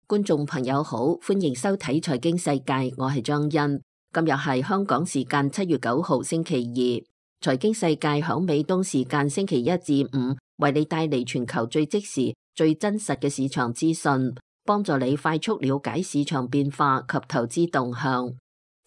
觀眾朋友好，歡迎收睇財經世界，我係張欣。今日係香港時間7月9號星期二，財經世界響美東時間星期一至五為你帶嚟全球最即時、最真實嘅市場資訊，幫助你快速了解市場變化及投資動向。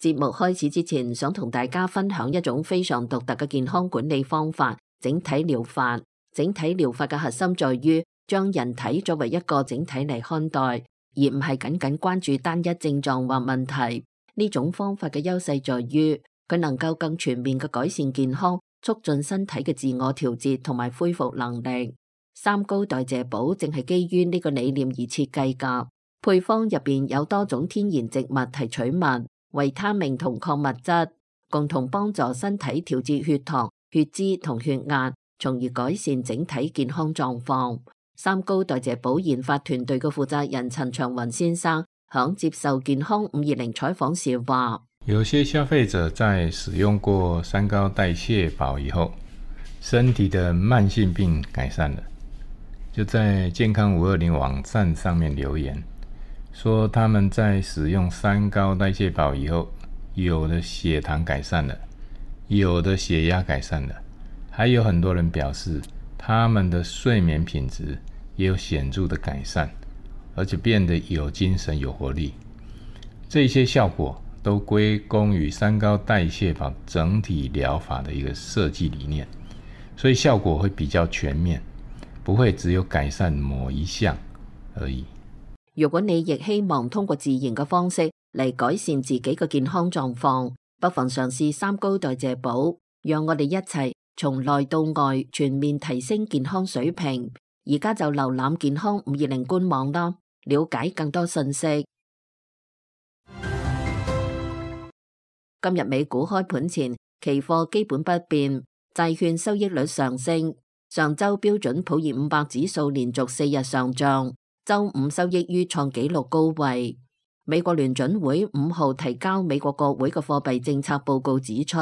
節目開始之前，想同大家分享一種非常獨特嘅健康管理方法——整體療法。整體療法嘅核心在於將人體作為一個整體嚟看待，而唔係僅僅關注單一症狀或問題。呢種方法嘅優勢在於佢能夠更全面嘅改善健康，促進身體嘅自我調節同埋恢復能力。三高代謝寶正係基於呢個理念而設計㗎。配方入邊有多種天然植物提取物、維他命同礦物質，共同幫助身體調節血糖、血脂同血壓，從而改善整體健康狀況。三高代謝寶研發團隊嘅負責人陳長雲先生響接受健康520採訪時話：有些消費者在使用過三高代謝寶以後，身體的慢性病改善了，就在健康520網站上面留言，說他們在使用三高代謝寶以後，有的血糖改善了，有的血壓改善了，還有很多人表示他們的睡眠品質也有顯著的改善，而且變得有精神有活力。這些效果都歸功於三高代謝寶整體療法的一個設計理念，所以效果會比較全面，不會只有改善某一項而已。如果你亦希望通過自然嘅方式嚟改善自己嘅健康狀況，不妨嘗試三高代謝寶，讓我哋一齊從內到外全面提升健康水平。而家就瀏覽健康520官網啦，了解更多信息。今日美股開盤前，期貨基本不變，債券收益率上升。上周標準普爾500指數連續4日上漲，周五收益於創紀錄高位。美國聯準會5號提交美國國會嘅貨幣政策報告指出，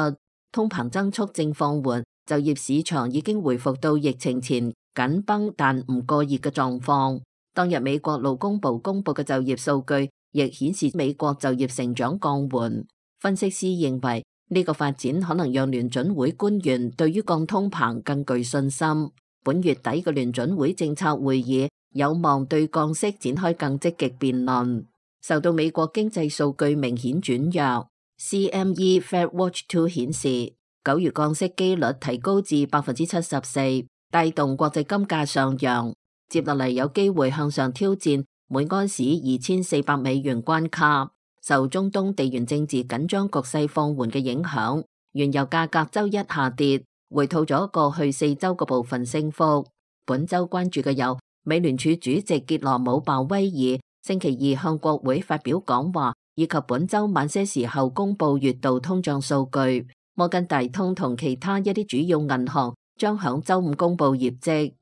通膨增速正放緩，就業市場已經回復到疫情前緊繃但唔過熱嘅狀況。當日美國勞工部公布嘅就業數據亦顯示美國就業成長降緩。分析師認為呢個發展可能讓聯準會官員對於降通膨更具信心。本月底嘅聯準會政策會議有望對降息展開更積極辯論。受到美國經濟數據明顯轉弱，CME Fed Watch 2顯示9月降息機率提高至74%，帶動國際金價上揚，接落嚟有機會向上挑戰每安士2400美元關卡。受中東地緣政治緊張局勢放緩嘅影響，原油價格周一下跌，回吐咗過去4周嘅部分升幅。本周關注嘅有美聯儲主席傑羅姆鮑威爾星期二向國會發表講話，以及本周晚些時候公布月度通脹數據。摩根大通同其他一啲主要銀行將響周五公布業績。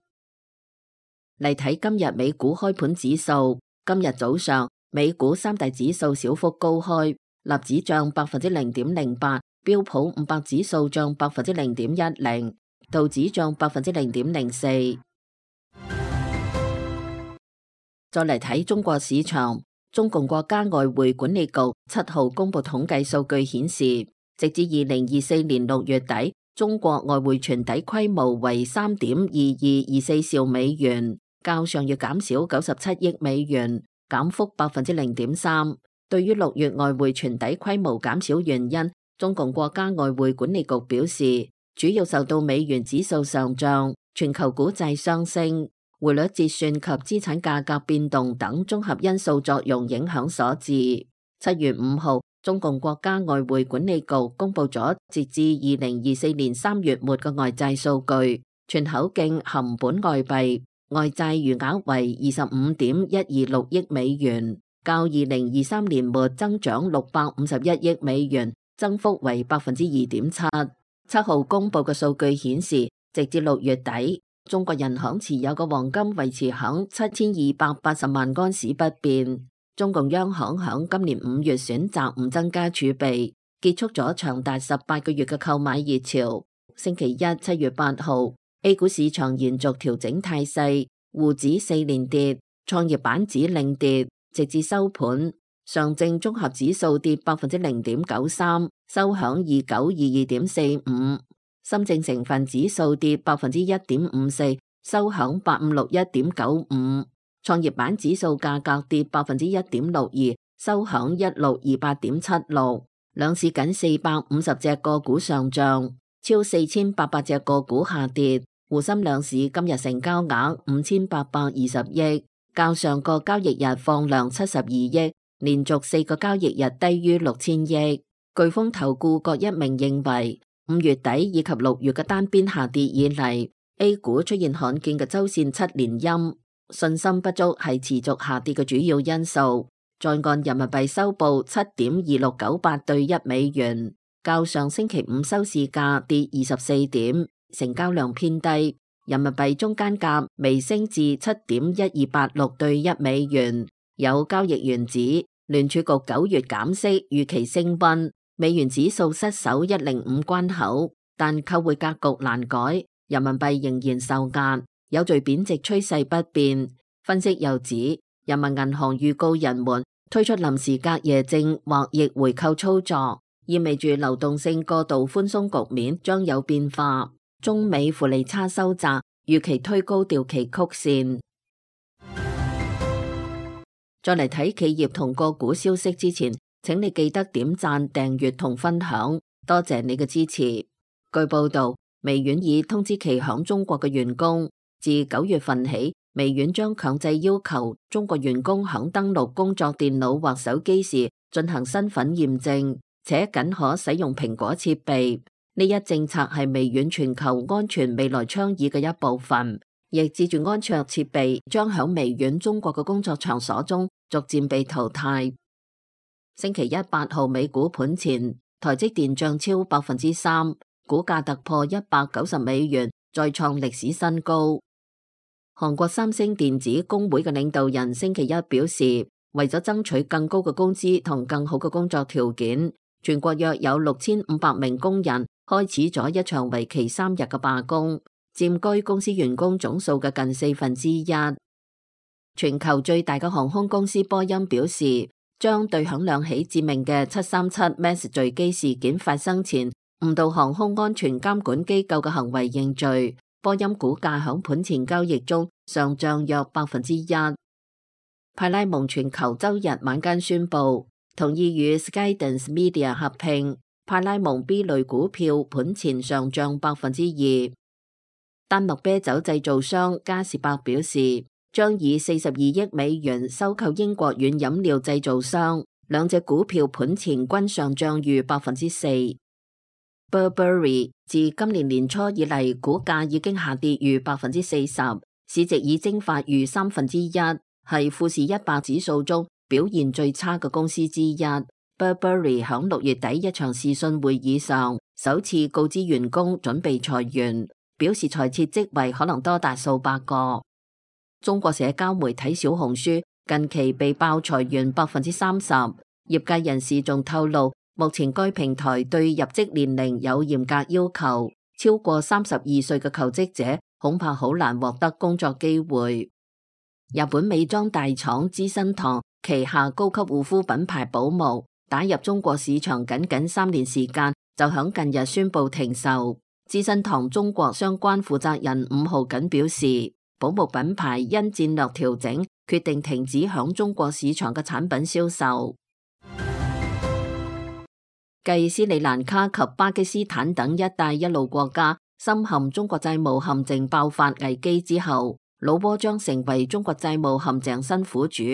嚟睇今日美股開盤指數，今日早上美股三大指數小幅高開，納指漲0.08%，標普500指數漲0.10%，道指漲0.04%。再嚟睇中國市場，中共國家外匯管理局7號公布統計數據顯示，直至2024年6月底，中國外匯存底規模為3.2224兆美元，較上月減少97億美元，減幅0.3%。對於6月外匯存底規模減少原因，中共國家外匯管理局表示，主要受到美元指數上漲、全球股債上升、匯率折算及資產價格變動等綜合因素作用影響所致。7月5號，中共國家外匯管理局公布咗截至2024年3月末嘅外債數據，全口徑含本外幣外債餘額為25.126億美元，較2023年末增長651億美元，增幅為2.7%。7號公布嘅數據顯示，直至6月底，中國人行持有嘅黃金維持響7280萬安士不變。中共央行響今年5月選擇唔增加儲備，結束咗長達18個月嘅購買熱潮。星期一7月8號，A 股市場延續調整態勢，滬指4連跌，創業板指領跌，直至收盤，上證綜合指數跌0.93%，收響2922.45；深證成分指數跌1.54%，收響8561.95；創業板指數價格跌1.62%，收響1628.76。兩市僅450隻個股上漲，超4800隻個股下跌。滬深兩市今日成交額5820億，較上個交易日放量72億，連續4個交易日低於6000億。巨豐投顧郭一鳴認為，5月底以及6月嘅單邊下跌以嚟，A 股出現罕見嘅周線7連陰，信心不足係持續下跌嘅主要因素。在岸人民幣收報7.2698對1美元，較上星期五收市價跌24點，成交量偏低。人民幣中間價微升至7.1286對1美元。有交易員指，聯儲局9月減息預期升溫，美元指數失守105關口，但購匯格局難改，人民幣仍然受壓，有序貶值趨勢不變。分析又指，人民銀行預告人們推出臨時隔夜證或逆回購操作，意味住流動性過度寬鬆局面將有變化。中美負利差收窄，預期推高掉期曲線。再嚟睇企業同個股消息之前，請你記得點讚、訂閱同分享，多謝你嘅支持。據報道，微軟已通知其響中國嘅員工，自9月份起，微軟將強制要求中國員工響登錄工作電腦或手機時進行身份驗證，且僅可使用蘋果設備。呢一政策係微軟全球安全未來倡議嘅一部分，亦指住安卓設備將響微軟中國嘅工作場所中逐漸被淘汰。星期一8號美股盤前，台積電漲超3%，股價突破190美元，再創歷史新高。韓國三星電子工會嘅領導人星期一表示，為咗爭取更高嘅工資同更好嘅工作條件，全國約有6500名工人開始咗一場為期3日嘅罷工，佔據公司員工總數嘅近1/4。全球最大嘅航空公司波音表示，將對響兩起致命嘅737 MAX 墜機事件發生前誤導航空安全監管機構嘅行為認罪。波音股價響盤前交易中上漲約1%。派拉蒙全球周日晚間宣布同意與 Skydance Media 合併，派拉蒙 B 類股票盤前上漲2%。丹麥啤酒製造商嘉士伯表示，將以42億美元收購英國軟飲料製造商，兩隻股票盤前均上漲逾4%。Burberry 自今年年初以嚟，股價已經下跌逾40%，市值已蒸發逾1/3，係富時100指數中表現最差嘅公司之一。Burberry 響6月底一場視訊會議上，首次告知員工準備裁員，表示裁撤職位可能多達數百個。中國社交媒體小紅書近期被爆裁員30%，業界人士仲透露，目前該平台對入職年齡有嚴格要求，超過32歲嘅求職者恐怕好難獲得工作機會。日本美妝大廠資生堂旗下高級護膚品牌寶慕打入中國市場僅3年時間，就響近日宣布停售。資生堂中國相關負責人5號僅表示，寶慕品牌因戰略調整，決定停止響中國市場嘅產品銷售。繼斯里蘭卡及巴基斯坦等一帶一路國家深陷中國債務陷阱爆發危機之後，老撾將成為中國債務陷阱新苦主。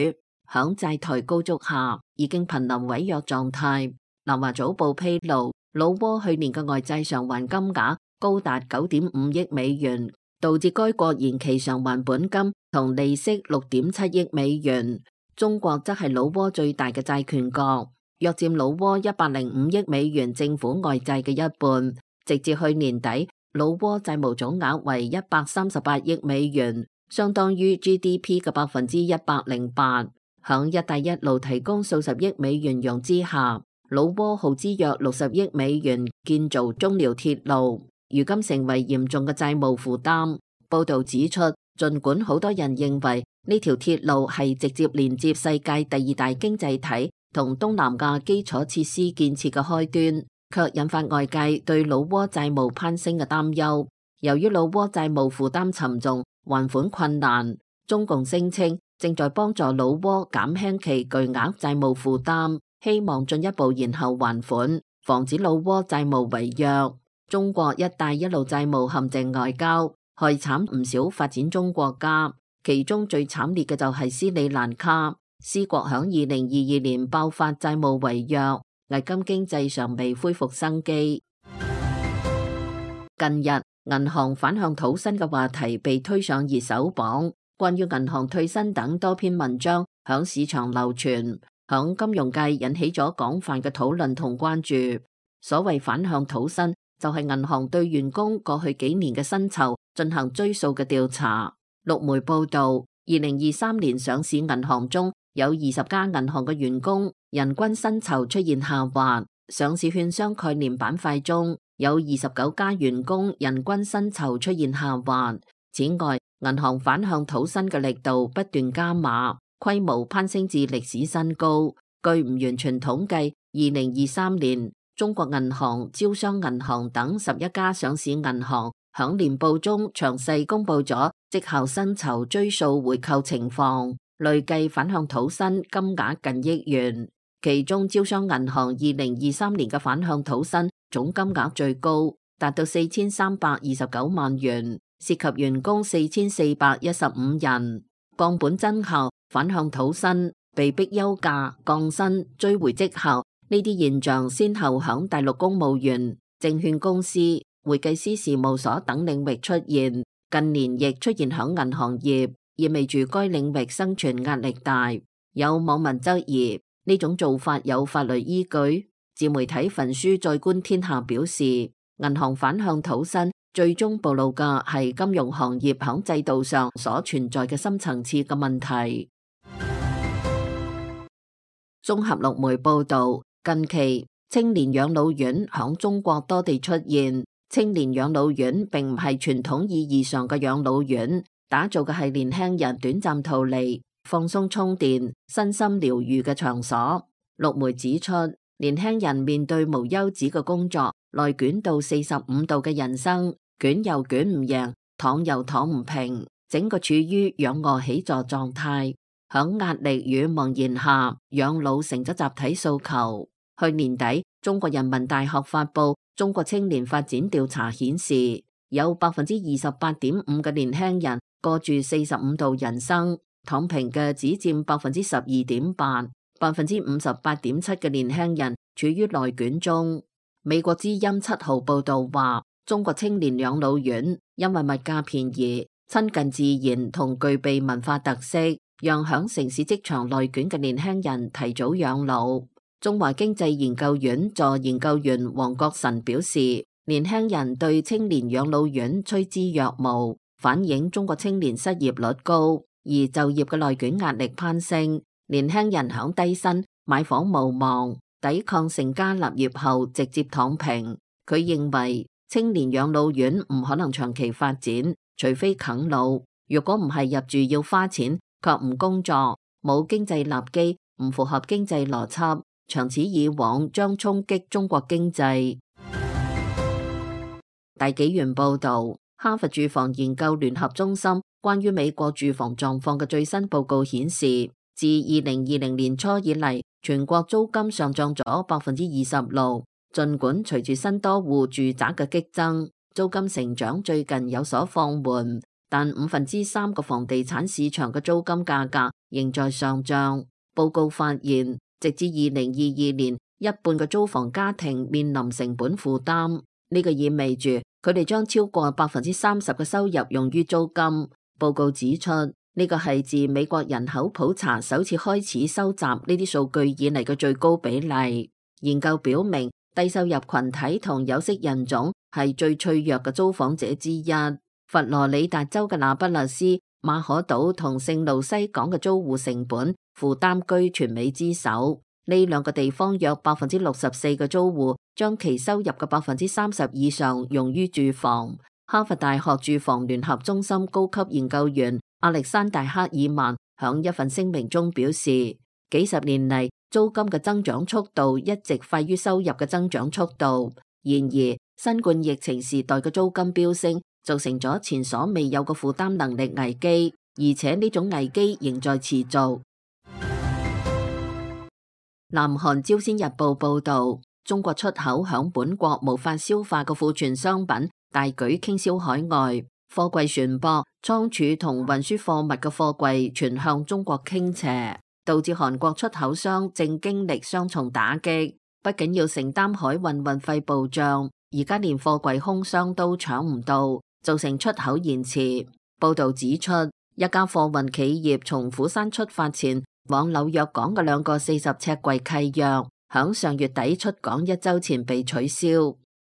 響債台高築下，已經瀕臨違約狀態。南華早報披露，老撾去年嘅外債償還金額高達9.5億美元，導致該國延期償還本金同利息6.7億美元。中國則係老撾最大嘅債權國，約佔老撾105億美元政府外債嘅一半。直至去年底，老撾債務總額為138億美元，相當於 GDP 嘅108%。響一帶一路提供數十億美元融資下，老撾耗資約60億美元建造中遼鐵路，如今成為嚴重嘅債務負擔。報道指出，儘管好多人認為呢條鐵路係直接連接世界第2大經濟體同東南亞基礎設施建設嘅開端，卻引發外界對老撾債務攀升嘅擔憂。由於老撾債務負擔沉重，還款困難，中共聲稱正在幫助老撾減輕其巨額債務負擔，希望進一步延後還款，防止老撾債務違約。中國一帶一路債務陷阱外交害慘唔少發展中國家，其中最慘烈嘅就係斯里蘭卡。斯國響2022年爆發債務違約，危今經濟尚未恢復生機。近日銀行反向土生嘅話題被推上熱搜榜，關於銀行退身等多篇文章響市場流傳，響金融界引起咗廣泛嘅討論同關注。所謂反向土生，就係銀行對員工過去幾年嘅薪酬進行追溯嘅調查。陸媒報道，2023年上市銀行中有20家銀行嘅員工人均薪酬出現下滑，上市券商概念板塊中有29家員工人均薪酬出現下滑。此外，銀行反向土生嘅力度不斷加碼，規模攀升至歷史新高。據唔完全統計，2023年中國銀行、招商銀行等11家上市銀行響年報中詳細公布咗績效薪酬追溯回扣情況，累計反向土生金額近億元。其中招商銀行2023年嘅反向土生總金額最高，達到4329萬元，涉及員工4415人。降本增效、反向土生、被逼休假、降薪、追回績效，呢啲現象先後響大陸公務員、證券公司、會計師事務所等領域出現，近年亦出現響銀行業，意味住該領域生存壓力大。有網民質疑呢種做法有法律依據。自媒體焚書再觀天下表示，銀行反向土生最終暴露嘅係金融行業響制度上所存在嘅深層次嘅問題。綜合陸媒報道，近期青年養老院響中國多地出現。青年養老院並唔係傳統意義上嘅養老院，打造嘅係年輕人短暫逃離、放鬆充電、身心療愈嘅場所。陸媒指出，年輕人面對無休止嘅工作，內捲到45度嘅人生，捲又捲唔贏，躺又躺唔平，整個處於仰臥起坐狀態。響壓力與茫然下，養老成咗集體訴求。去年底，中國人民大學發布中國青年發展調查顯示，有28.5%嘅年輕人過住45度人生，躺平嘅只佔12.8%。58.7% 嘅年輕人處於內捲中。美國之音7號報道話，中國青年養老院因為物價便宜、親近自然同具備文化特色，讓響城市職場內捲嘅年輕人提早養老。中華經濟研究院助研究員黃國臣表示，年輕人對青年養老院趨之若鶩，反映中國青年失業率高，而就業嘅內捲壓力攀升。年輕人響低薪、買房無望，抵抗成家立業後直接躺平。佢認為青年養老院唔可能長期發展，除非啃老。如果唔係入住要花錢，卻唔工作，冇經濟立基，唔符合經濟邏輯，長此以往將衝擊中國經濟。大紀元報道，哈佛住房研究聯合中心關於美國住房狀況嘅最新報告顯示，自2020年初以嚟，全國租金上漲咗26%。儘管隨住新多戶住宅嘅激增，租金成長最近有所放緩，但3%嘅房地產市場嘅租金價格仍在上漲。報告發現，直至2022年，一半嘅租房家庭面臨成本負擔，呢個意味住佢哋將超過30%嘅收入用於租金。報告指出，呢個係自美國人口普查首次開始收集呢啲數據以嚟嘅最高比例。研究表明，低收入群體同有色人種係最脆弱嘅租房者之一。佛羅里達州嘅那不勒斯、馬可島同聖路西港嘅租戶成本負擔居全美之首。呢兩個地方約64%嘅租戶將其收入嘅30%以上用於住房，哈佛大學住房聯合中心高級研究員亞歷山大·克爾曼響一份聲明中表示，幾十年嚟租金嘅增長速度一直快於收入嘅增長速度。然而，新冠疫情時代嘅租金飆升，造成咗前所未有嘅負擔能力危機，而且呢種危機仍在持續。南韓朝鮮日報報道，中國出口響本國無法消化嘅庫存商品大舉傾銷海外，貨櫃船舶、倉儲同運輸貨物嘅貨櫃全向中國傾斜，導致韓國出口商正經歷雙重打擊，不僅要承擔海運運費暴漲，而家連貨櫃空箱都搶唔到，造成出口延遲。報道指出，一家貨運企業從釜山出發前往紐約港嘅2個40尺櫃契約，響上月底出港1週前被取消。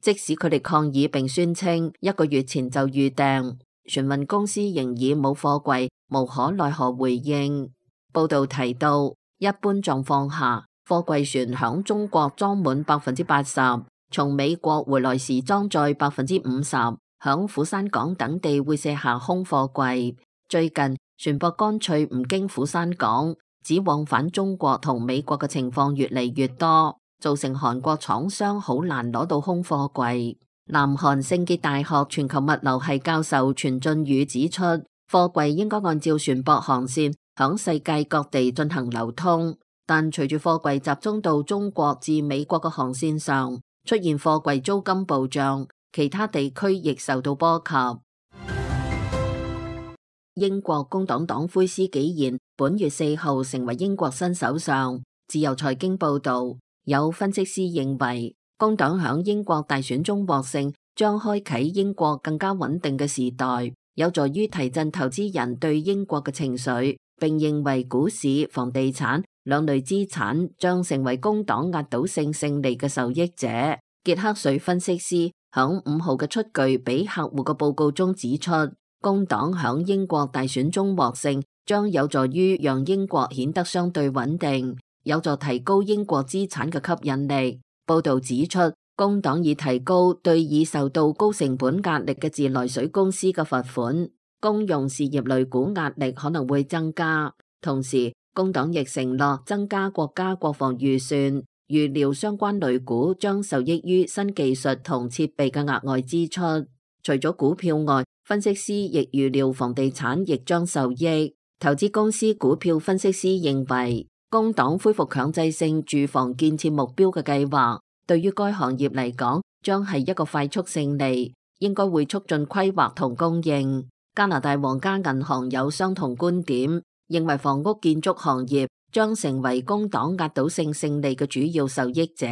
即使佢哋抗議並宣稱1個月前就預訂，船運公司仍以冇貨櫃，無可奈何回應。報道提到，一般狀況下，貨櫃船響中國裝滿80%，從美國回來時裝載50%，響釜山港等地會卸下空貨櫃。最近船舶乾脆唔經釜山港，只往返中國同美國嘅情況越嚟越多，造成韓國廠商好難攞到空貨櫃。南韓聖潔大學全球物流系教授全俊宇指出，貨櫃應該按照船舶航線響世界各地進行流通，但隨住貨櫃集中到中國至美國嘅航線上，出現貨櫃租金暴漲，其他地區亦受到波及。英國工黨黨魁施紀賢本月4號成為英國新首相。自由財經報道，有分析師認為，工黨響英國大選中獲勝，將開啟英國更加穩定嘅時代，有助於提振投資人對英國嘅情緒，並認為股市、房地產兩類資產將成為工黨壓倒性勝利嘅受益者。傑克瑞分析師響5號嘅出具俾客戶嘅報告中指出，工黨響英國大選中獲勝，將有助於讓英國顯得相對穩定，有助提高英國資產嘅吸引力。報道指出，工黨已提高對已受到高成本壓力嘅自來水公司嘅罰款，公用事業類股壓力可能會增加。同時，工黨亦承諾增加國家國防預算，預料相關類股將受益於新技術同設備嘅額外支出。除咗股票外，分析師亦預料房地產亦將受益。投資公司股票分析師認為，工黨恢復強制性住房建設目標嘅計劃，對於該行業嚟講，將係一個快速勝利，應該會促進規劃同供應。加拿大皇家銀行有相同觀點，認為房屋建築行業將成為工黨壓倒性勝利嘅主要受益者。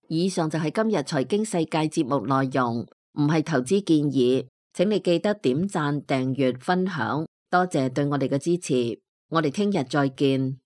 以上就係今日財經世界節目內容，唔係投資建議，請你記得點讚、訂閱、分享，多謝對我哋嘅支持，我哋聽日再見。